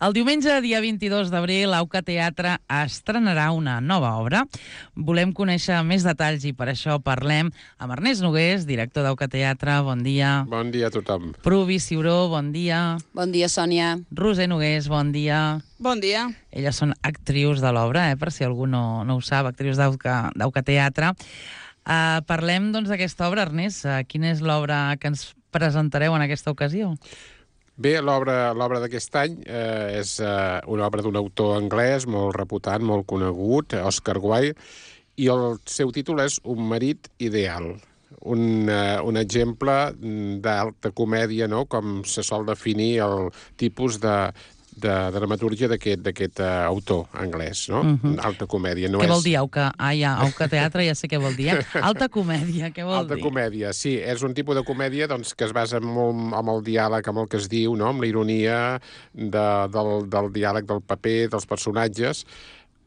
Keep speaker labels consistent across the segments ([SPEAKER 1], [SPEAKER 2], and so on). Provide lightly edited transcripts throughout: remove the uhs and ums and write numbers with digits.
[SPEAKER 1] El diumenge, dia 22 d'abril, Auca Teatre estrenarà una nova obra. Volem conèixer més detalls i per això parlem amb Ernest Nogués, director d'Auca Teatre. Bon dia.
[SPEAKER 2] Bon dia a tothom.
[SPEAKER 1] Pruvi Ciuró, bon dia.
[SPEAKER 3] Bon dia, Sònia.
[SPEAKER 1] Roser Nogués, bon dia.
[SPEAKER 4] Bon dia.
[SPEAKER 1] Elles són actrius de l'obra, per si algú no ho sap, actrius d'Auca Teatre. Parlem doncs d'aquesta obra, Ernest. Quina és l'obra que ens presentareu en aquesta ocasió?
[SPEAKER 2] Bé, l'obra d'aquest any és una obra d'un autor anglès molt reputat, molt conegut, Oscar Wilde, i el seu títol és Un marit ideal. Un exemple d'alta comèdia, no?, com se sol definir el tipus de dramatúrgia d'aquest autor anglès, no? Alta comèdia.
[SPEAKER 1] Què vol dir Auca? Auca Teatre, ja sé què vol dir. Alta comèdia, què vol dir?
[SPEAKER 2] Alta comèdia, sí. És un tipus de comèdia doncs, que es basa molt amb el diàleg, amb el que es diu, no?, amb la ironia del diàleg del paper, dels personatges,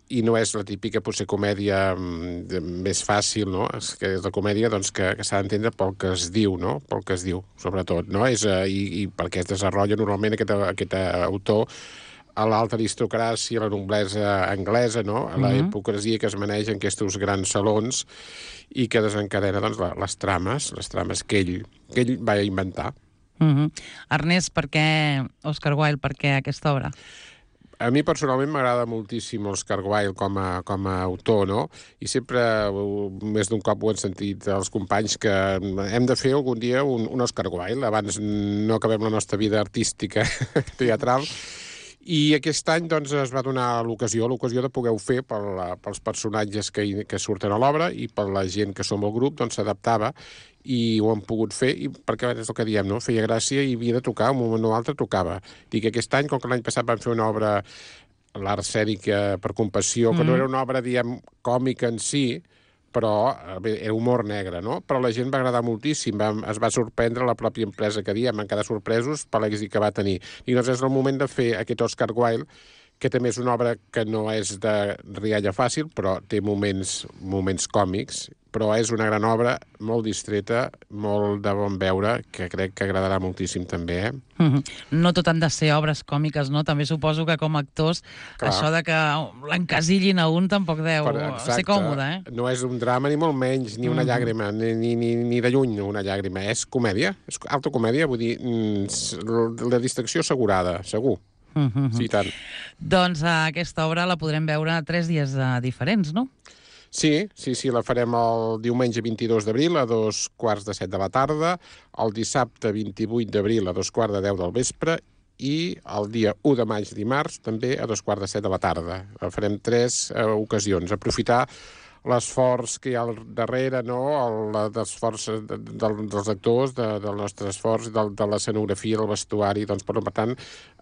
[SPEAKER 2] i no és la típica, potser, comèdia més fàcil, no? És la comèdia doncs, que s'ha d'entendre pel que es diu, no? Pel que es diu, sobretot, no? I perquè es desenvolupa normalment aquest autor a l'alta aristocràcia, la noblesa anglesa, no? A la hipocresia que es maneja en aquests grans salons i que desencadena doncs, les trames que ell va inventar.
[SPEAKER 1] Ernest, per què Oscar Wilde, per què aquesta obra?
[SPEAKER 2] A mi personalment m'agrada moltíssim Oscar Wilde com a autor, no? I sempre, més d'un cop ho han sentit els companys, que hem de fer algun dia un Oscar Wilde, abans no acabem la nostra vida artística teatral. I aquest any doncs, es va donar l'ocasió de poder-ho fer pels personatges que surten a l'obra i per la gent que som al grup, doncs s'adaptava i ho han pogut fer, i perquè és el que diem, no? Feia gràcia i havia de tocar, un moment o altre tocava. Dic que aquest any, com que l'any passat van fer una obra, l'art escènic per compassió, que no era una obra, diem, còmica en si, però era humor negre, no? Però la gent va agradar moltíssim, es va sorprendre la pròpia empresa que diem, van quedar sorpresos per l'èxit que va tenir. I doncs és el moment de fer aquest Oscar Wilde, que també és una obra que no és de rialla fàcil, però té moments còmics, però és una gran obra, molt distreta, molt de bon veure, que crec que agradarà moltíssim també,
[SPEAKER 1] No tot han de ser obres còmiques, no? També suposo que com a actors, això de que l'encasillin a un tampoc deu ser còmode,
[SPEAKER 2] No és un drama ni molt menys, ni una llàgrima, ni de lluny una llàgrima. És comèdia, és alta comèdia, vull dir, la distracció assegurada, segur. Sí, tant.
[SPEAKER 1] Doncs aquesta obra la podrem veure 3 dies diferents, no?
[SPEAKER 2] Sí, la farem el diumenge 22 d'abril a 7:15 de la tarda, el dissabte 28 d'abril a 10:15 del vespre i el dia 1 de maig, dimarts, també a 7:15 de la tarda. Farem 3 ocasions. Aprofitar l'esforç que hi ha al darrere, no? L'esforç dels actors, del nostre esforç, de l'escenografia, del vestuari. Doncs, per tant,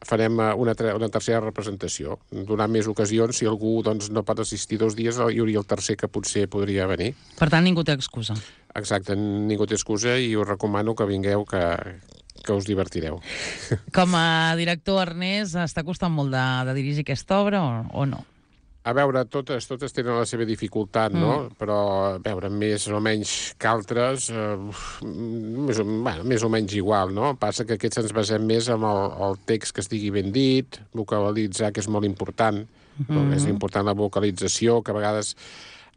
[SPEAKER 2] farem una tercera representació. Donar més ocasions, si algú doncs, no pot assistir 2 dies, hi hauria el tercer que potser podria venir.
[SPEAKER 1] Per tant, ningú té excusa.
[SPEAKER 2] Exacte, ningú té excusa i us recomano que vingueu, que us divertireu.
[SPEAKER 1] Com a director, Ernest, està costant molt de dirigir aquesta obra o no?
[SPEAKER 2] A veure, totes tenen la seva dificultat, no? Però, a veure, més o menys que altres, més o menys igual, no? Passa que aquests ens basem més en el text que estigui ben dit, vocalitzar, que és molt important. És important la vocalització, que a vegades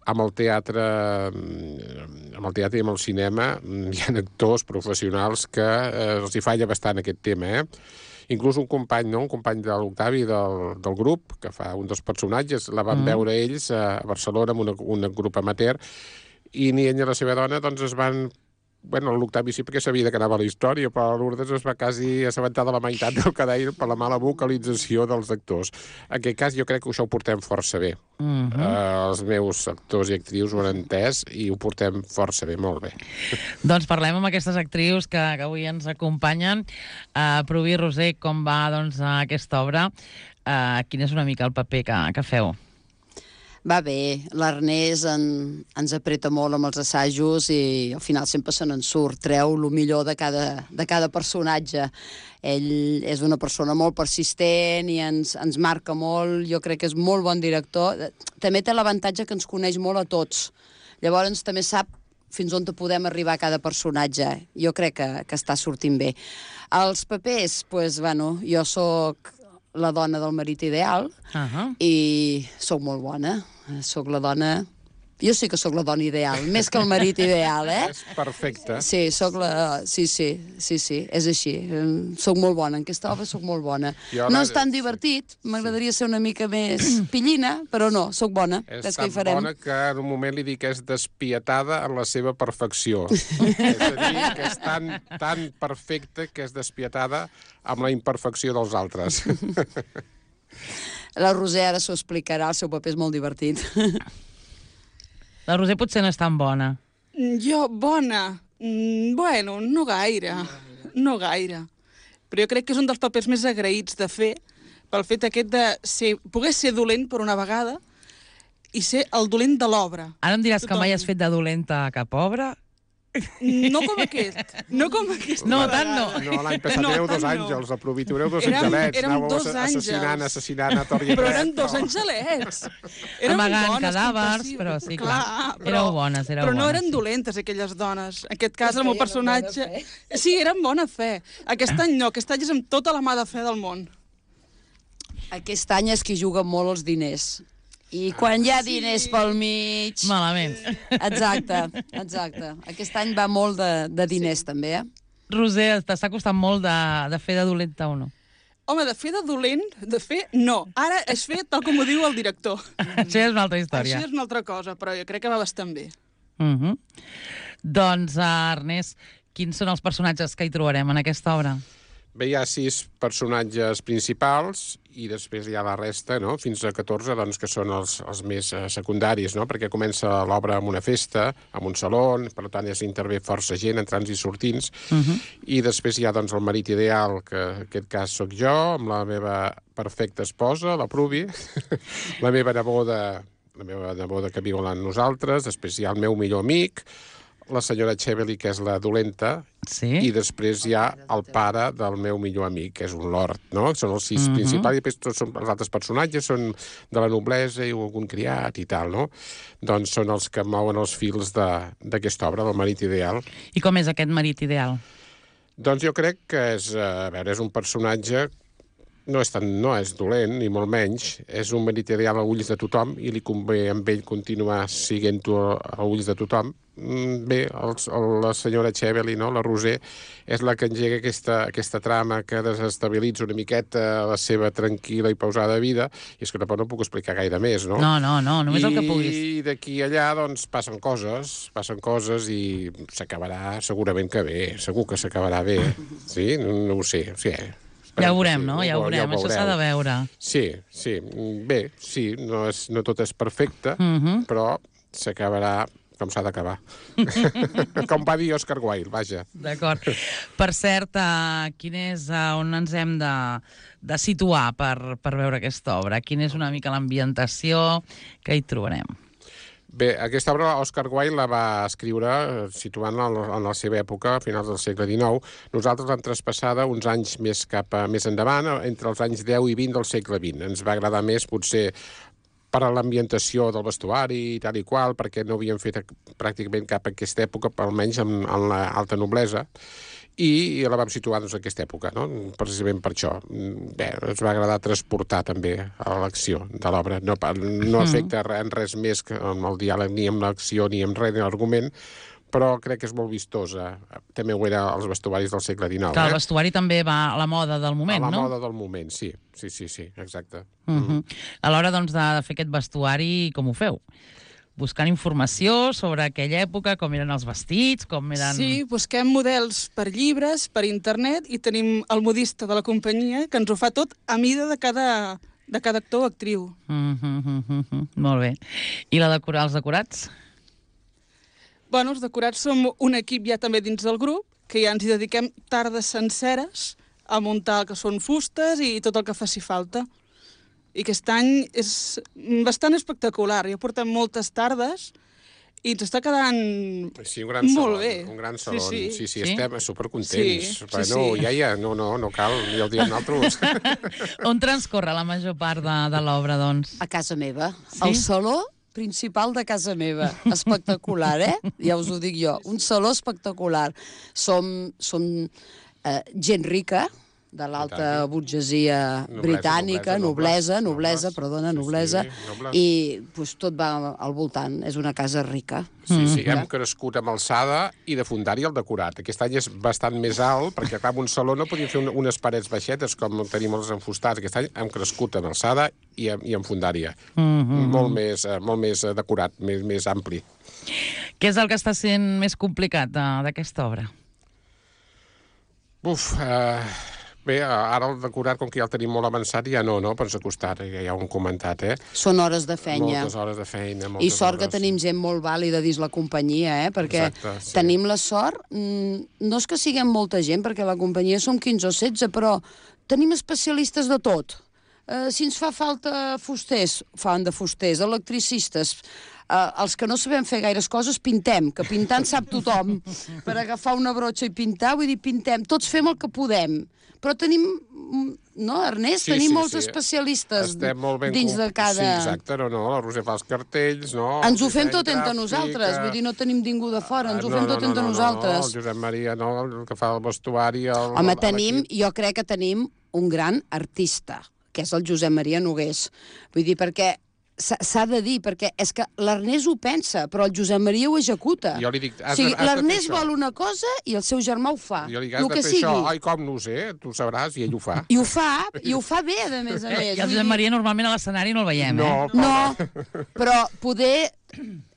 [SPEAKER 2] amb el teatre i amb el cinema hi ha actors professionals que els hi falla bastant aquest tema, Inclús un company de l'Octavi del grup, que fa un dels personatges, la van veure ells a Barcelona amb un grup amateur, i ni ell ni la seva dona doncs es van... Bueno, l'Octavi sí perquè sabia de què anava la història, però Lourdes es va quasi assabentar de la meitat del que deia per la mala vocalització dels actors. En aquest cas jo crec que això ho portem força bé. Els meus actors i actrius ho han entès i ho portem força bé, molt bé.
[SPEAKER 1] Doncs parlem amb aquestes actrius que avui ens acompanyen. Pruvi, Roser, com va aquesta obra? Quin és una mica el paper que feu?
[SPEAKER 3] Va bé, l'Ernest ens apreta molt amb els assajos i al final sempre se n'en surt, treu el millor de cada personatge. Ell és una persona molt persistent i ens marca molt, jo crec que és molt bon director. També té l'avantatge que ens coneix molt a tots. Llavors també sap fins on podem arribar a cada personatge. Jo crec que està sortint bé. Els papers, doncs, bueno, jo sóc la dona del marit ideal, i sóc molt bona. Sóc la dona... Jo sí que sóc la dona ideal, més que el marit ideal,
[SPEAKER 2] És perfecte.
[SPEAKER 3] Sí, sóc la... Sí, és així. Soc molt bona, en aquesta obra soc molt bona. No és tan divertit, m'agradaria ser una mica més pillina, però no, sóc bona.
[SPEAKER 2] És tan bona que en un moment li dic que és despietada en la seva perfecció. És a dir, que és tan perfecta que és despietada amb la imperfecció dels altres.
[SPEAKER 3] La Roser ara s'ho explicarà, el seu paper és molt divertit.
[SPEAKER 1] La Roser potser no és tan bona.
[SPEAKER 4] Jo, bona? Bueno, no gaire. No gaire. Però jo crec que és un dels papers més agraïts de fer, pel fet aquest de poder ser dolent per una vegada i ser el dolent de l'obra.
[SPEAKER 1] Ara em diràs que mai has fet de dolenta a cap obra?
[SPEAKER 4] No com aquest. No com aquest.
[SPEAKER 1] No, tant no.
[SPEAKER 2] No, l'any passat éreu 2 àngels, aprofitareu 2 angelets.
[SPEAKER 4] Érem 2 àngels.
[SPEAKER 2] Assassinant a tort i a
[SPEAKER 4] però eren 2 angelets.
[SPEAKER 1] Amagant cadàvers, però sí, clar. Éreu bones,
[SPEAKER 4] Però no eren dolentes, aquelles dones. En aquest cas, el meu personatge... Sí, eren bona fe. Aquest any no, aquest any és amb tota la mà de fe del món.
[SPEAKER 3] Aquest any és qui juga molt els diners. I quan hi ha diners pel mig...
[SPEAKER 1] Malament.
[SPEAKER 3] Exacte. Aquest any va molt de diners, també,
[SPEAKER 1] Roser, t'està costant molt de fer de dolenta o no?
[SPEAKER 4] Home, de fer de dolent, no. Ara es fer tal com ho diu el director.
[SPEAKER 1] Això és una altra història.
[SPEAKER 4] Això és una altra cosa, però jo crec que va bastant bé.
[SPEAKER 1] Doncs, Ernest, quins són els personatges que hi trobarem en aquesta obra?
[SPEAKER 2] Bé, hi ha 6 personatges principals i després hi ha la resta, no? Fins a 14, doncs, que són els més secundaris, no? Perquè comença l'obra amb una festa, amb un saló, per tant, intervé força gent, entrants i sortints, i després hi ha, doncs, el marit ideal, que en aquest cas sóc jo, amb la meva perfecta esposa, la Pruvi, la meva neboda que viu amb nosaltres, després hi ha el meu millor amic, la senyora Chevely, que és la dolenta, i després hi ha el pare del meu millor amic, que és un lord, no? Són els 6 principals, i després tots els altres personatges són de la noblesa i algun criat i tal, no? Doncs són els que mouen els fils d'aquesta obra, del marit ideal.
[SPEAKER 1] I com és aquest marit ideal?
[SPEAKER 2] Doncs jo crec que és un personatge... No és dolent, ni molt menys. És un marit ideal a ulls de tothom i li convé amb ell continuar siguent-ho a ulls de tothom. Bé, la senyora Chevely, no? La Roser, és la que engega aquesta trama que desestabilitza una miqueta la seva tranquil·la i pausada vida, i és que no puc explicar gaire més, no?
[SPEAKER 1] No, només el que puguis.
[SPEAKER 2] I d'aquí a allà, doncs, passen coses i s'acabarà segurament que bé, segur que s'acabarà bé. Sí? No ho sé, sí.
[SPEAKER 1] Ja ho veurem, no? Ja ho veurem. Això s'ha de veure.
[SPEAKER 2] Sí. Bé, sí, no tot és perfecte, però s'acabarà com s'ha d'acabar. Com va dir Oscar Wilde, vaja.
[SPEAKER 1] D'acord. Per cert, quin és on ens hem de situar per veure aquesta obra? Quina és una mica l'ambientació que hi trobarem?
[SPEAKER 2] Bé, aquesta obra Oscar Wilde la va escriure situant-la en la seva època, a finals del segle XIX. Nosaltres l'hem traspassada uns anys més endavant, entre els anys 10 i 20 del segle XX. Ens va agradar més, potser, per a l'ambientació del vestuari i tal i qual, perquè no havíem fet pràcticament cap en aquesta època, almenys en l'alta noblesa, i la vam situar en aquesta època, no? Precisament per això. Bé, ens va agradar transportar també a l'acció de l'obra. No afecta en res més que amb el diàleg, ni amb l'acció, ni amb res, ni l'argument, però crec que és molt vistosa. També ho era als vestuaris del segle XIX.
[SPEAKER 1] Clar, el vestuari també va a la moda del moment, no?
[SPEAKER 2] A la moda del moment, sí, exacte.
[SPEAKER 1] A l'hora, doncs, de fer aquest vestuari, com ho feu? Buscant informació sobre aquella època, com eren els vestits, com eren...
[SPEAKER 4] Sí, busquem models per llibres, per internet, i tenim el modista de la companyia que ens ho fa tot a mida de cada actor o actriu.
[SPEAKER 1] Molt bé. I els decorats?
[SPEAKER 4] Bueno, els decorats som un equip ja també dins del grup, que ja ens hi dediquem tardes senceres a muntar el que són fustes i tot el que faci falta. I aquest any és bastant espectacular. Ja portem moltes tardes i ens està quedant molt bé.
[SPEAKER 2] Un gran saló. Sí, estem supercontents.
[SPEAKER 4] Sí.
[SPEAKER 2] No cal, ja ho diem nosaltres.
[SPEAKER 1] On transcorre la major part de l'obra, doncs?
[SPEAKER 3] A casa meva. El saló principal de casa meva. Espectacular, Ja us ho dic jo. Un saló espectacular. Som gent rica, de l'alta burgesia britànica, noblesa, i pues, tot va al voltant. És una casa rica.
[SPEAKER 2] Sí, hem crescut amb alçada i de fondària el decorat. Aquest any és bastant més alt, perquè clar, en un saló no podíem fer unes parets baixetes com tenim els enfustats. Aquest any hem crescut en alçada i en fondària. Molt més decorat, més ampli.
[SPEAKER 1] Què és el que està sent més complicat d'aquesta obra?
[SPEAKER 2] Bé, ara el decorat, com que ja el tenim molt avançat, ja no, però ens ha costat, ja ho hem comentat,
[SPEAKER 3] Són hores de feina.
[SPEAKER 2] Moltes hores de feina,
[SPEAKER 3] I sort que tenim gent molt vàlida dins la companyia, perquè tenim la sort, no és que siguem molta gent, perquè la companyia som 15 o 16, però tenim especialistes de tot. Si ens fa falta fusters, fan de fusters, electricistes, els que no sabem fer gaires coses, pintem, que pintant sap tothom. Per agafar una brotxa i pintar, vull dir, pintem. Tots fem el que podem. Però tenim, no, Ernest? Tenim molts especialistes dins de cada...
[SPEAKER 2] Sí, exacte, la Roser fa els cartells, no?
[SPEAKER 3] Ens ho fem tot entre nosaltres, vull dir, no tenim ningú de fora, ens ho fem tot entre nosaltres.
[SPEAKER 2] El Josep Maria, el que fa el vestuari...
[SPEAKER 3] Home, jo crec que tenim un gran artista, que és el Josep Maria Nogués. Vull dir, perquè s'ha de dir, perquè és que l'Ernest ho pensa, però el Josep Maria ho executa.
[SPEAKER 2] Jo li dic,
[SPEAKER 3] l'Ernest vol una cosa i el seu germà ho fa.
[SPEAKER 2] Jo li dic, has de fer això. Ai, com no ho sé, tu sabràs, i ell ho fa.
[SPEAKER 3] I ho fa bé, a més a més.
[SPEAKER 1] I el Josep Maria normalment a l'escenari no el veiem,
[SPEAKER 3] No, però poder...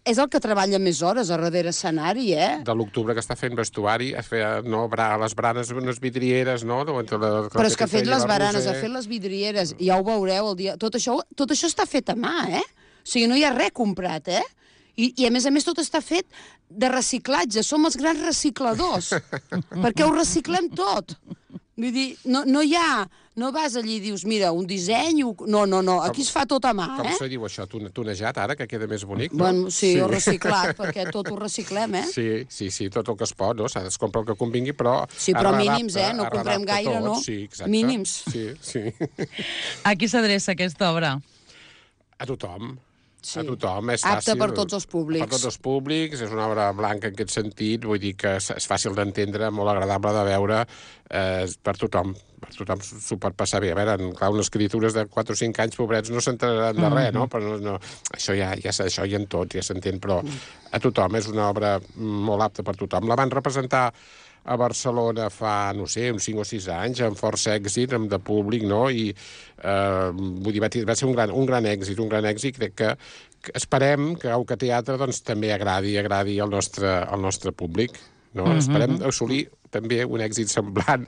[SPEAKER 3] És el que treballa més hores a darrere escenari,
[SPEAKER 2] De l'octubre que està fent vestuari, les branes, unes vidrieres, no?
[SPEAKER 3] Però és que ha fet les baranes, ha fet les vidrieres, ja ho veureu el dia... Tot això està fet a mà, O sigui, no hi ha res comprat, I a més tot està fet de reciclatge. Som els grans recicladors, perquè ho reciclem tot. Vull dir, no hi ha... No vas allí i dius, mira, un disseny... No, aquí es fa tot a mà,
[SPEAKER 2] Com se diu això? Tunejat, ara, que queda més bonic, no?
[SPEAKER 3] Bueno, sí, o reciclat, perquè tot ho reciclem,
[SPEAKER 2] Sí, tot el que es pot, no? S'ha de comprar el que convingui, però...
[SPEAKER 3] Sí, però mínims, no comprem gaire, no?
[SPEAKER 2] Sí, exacte.
[SPEAKER 3] Mínims.
[SPEAKER 2] Sí.
[SPEAKER 1] A qui s'adreça aquesta obra?
[SPEAKER 2] A tothom.
[SPEAKER 3] Sí.
[SPEAKER 2] A tothom, és fàcil.
[SPEAKER 3] Apte per tots els públics.
[SPEAKER 2] Per tots els públics, és una obra blanca en aquest sentit, vull dir que és fàcil d'entendre, molt agradable de veure, per tothom s'ho pot passar bé. A veure, clar, unes criatures de 4 o 5 anys, pobrets, no s'enteraran de res, no? Però això ja en tot, ja s'entén, però a tothom és una obra molt apta per tothom. La van representar a Barcelona fa, uns 5 o 6 anys, amb força èxit, de públic, no? I vull dir, va ser un gran èxit, crec que esperem que Auca Teatre doncs, també agradi al nostre públic, no? Esperem assolir també un èxit semblant,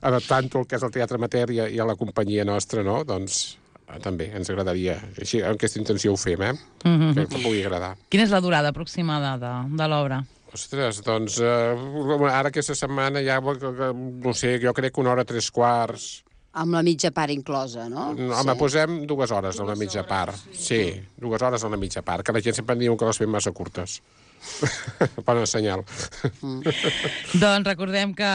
[SPEAKER 2] adaptant-ho al que és el teatre amateur i a la companyia nostra, no? Doncs també ens agradaria. Així, amb aquesta intenció ho fem, que pugui agradar.
[SPEAKER 1] Quina és la durada aproximada de l'obra?
[SPEAKER 2] Ostres, doncs, ara aquesta setmana ja, no sé, jo crec que 1 hora 3/4.
[SPEAKER 3] Amb la mitja part inclosa, no?
[SPEAKER 2] Home, posem 2 hores a la mitja part. Sí, 2 hores a la mitja part, que la gent sempre em diu que les fem massa curtes. Bona senyal.
[SPEAKER 1] Doncs recordem que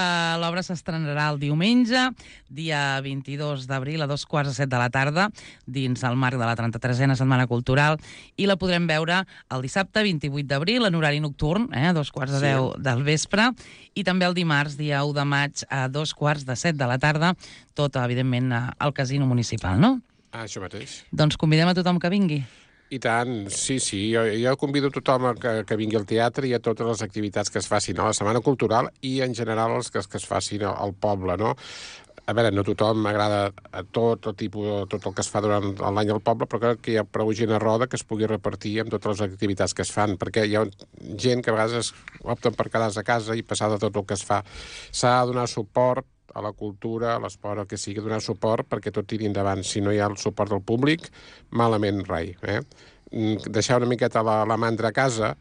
[SPEAKER 1] l'obra s'estrenarà el diumenge, dia 22 d'abril, a 2:15 de la tarda, dins el marc de la 33a Setmana Cultural, i la podrem veure el dissabte 28 d'abril, en horari nocturn, a 2:45 del vespre, i també el dimarts, dia 1 de maig, a 2:15 de la tarda, tot, evidentment, al Casino Municipal, no?
[SPEAKER 2] Això mateix.
[SPEAKER 1] Doncs convidem a tothom que vingui.
[SPEAKER 2] I tant, sí, jo convido tothom que vingui al teatre i a totes les activitats que es facin a la Setmana Cultural i en general els que es facin al poble, no? A veure, no tothom m'agrada tot el que es fa durant l'any al poble, però crec que hi ha prou gent a roda que es pugui repartir amb totes les activitats que es fan, perquè hi ha gent que a vegades opten per quedar-se a casa i passar de tot el que es fa. S'ha de donar suport a la cultura, a l'esport, el que sigui, donar suport perquè tot tiri endavant. Si no hi ha el suport del públic, malament rai. Deixar una miqueta la mandra a casa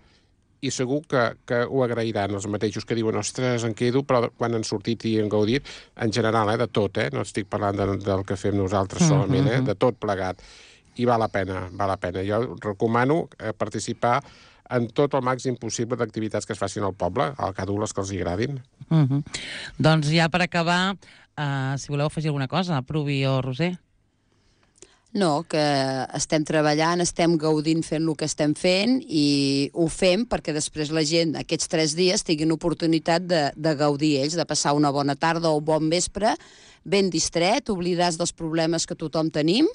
[SPEAKER 2] i segur que ho agrairan els mateixos que diuen, ostres, em quedo, però quan han sortit i han gaudit, en general, de tot, no estic parlant del que fem nosaltres solament, de tot plegat. I val la pena. Jo recomano participar en tot el màxim possible d'activitats que es facin al poble, al cada un les que els agradin.
[SPEAKER 1] Doncs ja per acabar, si voleu afegir alguna cosa, Pruvi o Roser?
[SPEAKER 3] No, que estem treballant, estem gaudint fent el que estem fent i ho fem perquè després la gent aquests 3 dies tinguin oportunitat de gaudir ells, de passar una bona tarda o un bon vespre ben distret, oblidaràs dels problemes que tothom tenim,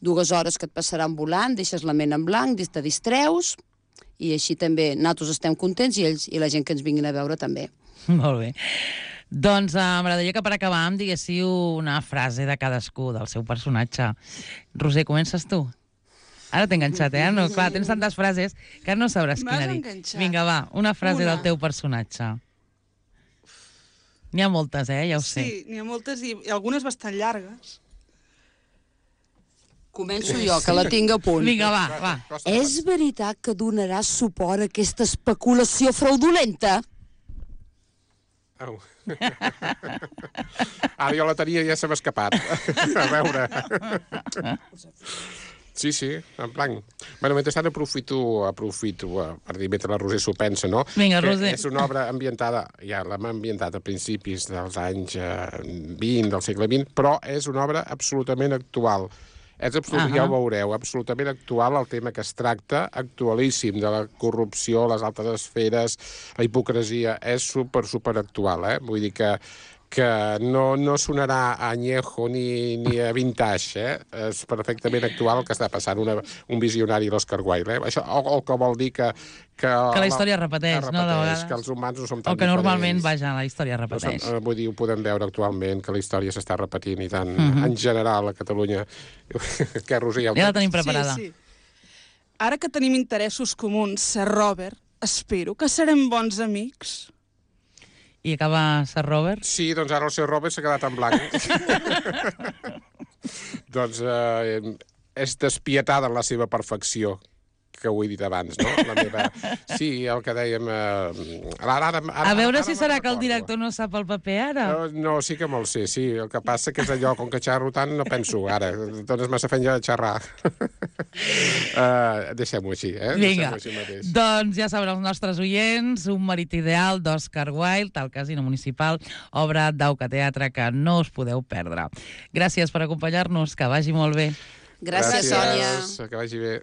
[SPEAKER 3] 2 hores que et passaran volant, deixes la ment en blanc, te distreus, i així també nosaltres estem contents i la gent que ens vinguin a veure també.
[SPEAKER 1] Molt bé. Doncs m'agradaria que per acabar em diguéssiu una frase de cadascú, del seu personatge. Roser, comences tu? Ara t'he enganxat, No, clar, tens tantes frases que no sabràs quina dir. Vinga, va, una frase del teu personatge. N'hi ha moltes, ja ho sé.
[SPEAKER 4] Sí, n'hi ha moltes i algunes bastant llargues.
[SPEAKER 3] Començo jo, que la tinc a punt.
[SPEAKER 1] Vinga, va.
[SPEAKER 3] És veritat que donaràs suport a aquesta especulació fraudulenta?
[SPEAKER 2] Au. Ara jo la tenia i ja se m'ha escapat. A veure. Sí, en blanc. Bueno, mentrestant aprofito per dir, mentre la Roser s'ho pensa, no?
[SPEAKER 1] Vinga,
[SPEAKER 2] que
[SPEAKER 1] Roser.
[SPEAKER 2] És una obra ambientada, ja l'hem ambientat a principis dels anys 20, del segle XX, però és una obra absolutament actual. És absolutament, ja ho veureu, absolutament actual el tema que es tracta, actualíssim, de la corrupció, les altes esferes, la hipocresia, és super actual, Vull dir que no sonarà a añejo ni a vintage, És perfectament actual el que està passant, un visionari a l'Oscar Wilde, Això, o que vol dir que
[SPEAKER 1] la història es repeteix, no, de vegades.
[SPEAKER 2] Que els humans no som tan
[SPEAKER 1] diferents. O que normalment,
[SPEAKER 2] diferents.
[SPEAKER 1] la història es repeteix.
[SPEAKER 2] Vull dir, ho podem veure actualment, que la història s'està repetint i tant, en general, a Catalunya. Què, Roser?
[SPEAKER 1] Ja la tenim preparada.
[SPEAKER 4] Sí. Ara que tenim interessos comuns, Sir Robert, espero que serem bons amics.
[SPEAKER 1] I acaba Sir Robert?
[SPEAKER 2] Sí, doncs ara el Sir Robert s'ha quedat en blanc. Doncs és despietada en la seva perfecció, que ho he dit abans, no? Sí, el que dèiem...
[SPEAKER 1] A veure si serà que el director no sap el paper ara.
[SPEAKER 2] No, sí que me'l sé, sí. El que passa que és allò, com que xerro tant, no penso ara. Dones massa feina de xerrar. Deixem-ho així,
[SPEAKER 1] Vinga,
[SPEAKER 2] deixem-ho així mateix.
[SPEAKER 1] doncs ja saben els nostres oients, Un marit ideal d'Oscar Wilde, al Casino Municipal, obra d'Auca Teatre que no us podeu perdre. Gràcies per acompanyar-nos, que vagi molt bé.
[SPEAKER 3] Gràcies, Sònia.
[SPEAKER 2] Que vagi bé.